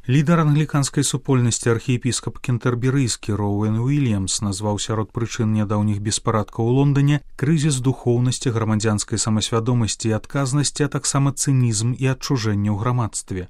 Лідар англіканскай супольнасці архіепіскап кентэрберыйскі Роуэн Уільямс назваў сярод прычын нядаўніх беспарадкаў у Лондане крызіс духоўнасці, грамадзянскай самасвядомасці і адказнасці, а таксама цынізм і адчужэнне ў грамадстве.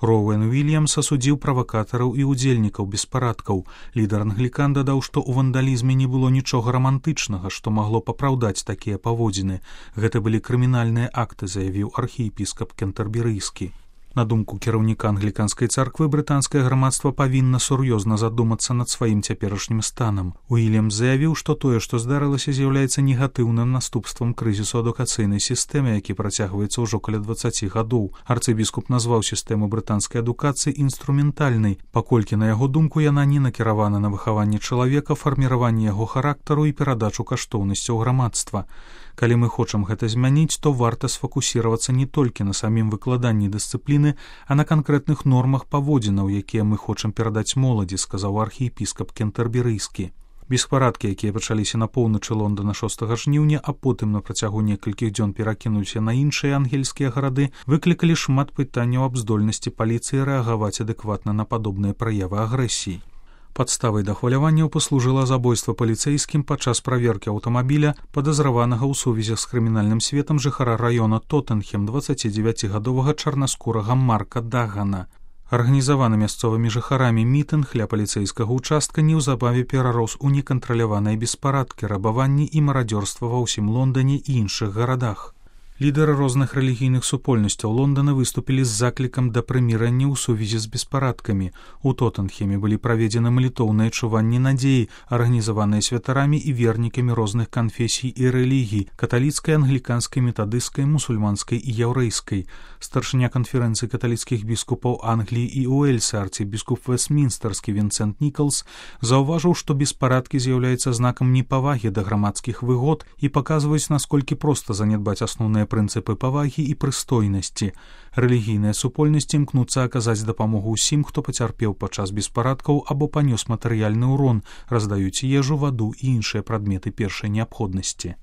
Роуэн Уільямс асудзіў правакатараў і ўдзельнікаў беспарадкаў. Лідар англікан дадаў, што ў вандалізме не было нічога рамантычнага, што магло папраўдаць такія паводзіны. Гэта былі крымінальныя акты, заявіў архіепіскап кентэрберыйскі. На думку кіраўніка англіканскай царквы, брытанскае грамадства павінна сур'ёзна задумацца над сваім цяперашнім станам. Уільямс заявіў, што тое, што здарылася, з'яўляецца негатыўным наступствам крызісу адукацыйнай сістэмы, які працягваецца ўжо каля 20 гадоў. Арцыбіскуп назваў сістэму брытанскай адукацыі інструментальнай, паколькі, на яго думку, яна не накіравана на выхаванне чалавека, фарміраванне яго характару і перадачу каштоўнасцяў грамадства. Калі мы хочам гэта змяніць, то варта сфокусіравацца не толькі на самім выкладанні дысцыпліны, а на канкрэтных нормах паводзінаў, якія мы хочам перадаць моладзі, сказаў архіепіскап кентэрберыйскі. Беспарадкі, якія пачаліся на поўначы Лондана 6 жніўня, а потым на працягу некалькіх дзён перакінуліся на іншыя ангельскія гарады, выклікалі шмат пытанняў аб здольнасці паліцыі рэагаваць адэкватна на падобныя праявы агрэсіі. Падставай да хваляванняў паслужыла забойства паліцэйскім падчас праверкі аўтамабіля, падазраванага ў сувязі з крымінальным светам жыхара раёна Тоттенхем 29гадовага чарнаскурага Марка Дагана. Арганізаваны мясцовымі жыхарамі мітынг ля паліцэйскага ўчастка неўзабаве перарос у некантраляваныя беспарадкі, рабаванні і марадзёрства ва ўсім Лондане і іншых гарадах. Лідары розных рэлігійных супольнасцяў Лондана выступілі з заклікам да прымірання ў сувязі з беспарадкамі. У Тоттенхеме былі праведзены малітоўныя чуванні надзеі, арганізаваныя святарамі і вернікамі розных канфесій і рэлігій – каталіцкай, англіканскай, метадысцкай, мусульманскай і яўрэйскай. Старшыня канферэнцыі каталіцкіх біскупаў Англіі і Уэльса, арцыбіскуп Вэстмінстэрскі Вінсент Нікалс, заўважыў, што беспарадкі з'яўляюцца знакам непавагі да грамадскіх выгод і паказваюць, насколькі проста занядбаць асноўныя прынцыпы павагі і прыстойнасці. Рэлігійныя супольнасці імкнуцца аказаць дапамогу ўсім, хто пацярпеў падчас беспарадкаў або панёс матэрыяльны ўрон, раздаюць ежу, ваду і іншыя прадметы першай неабходнасці.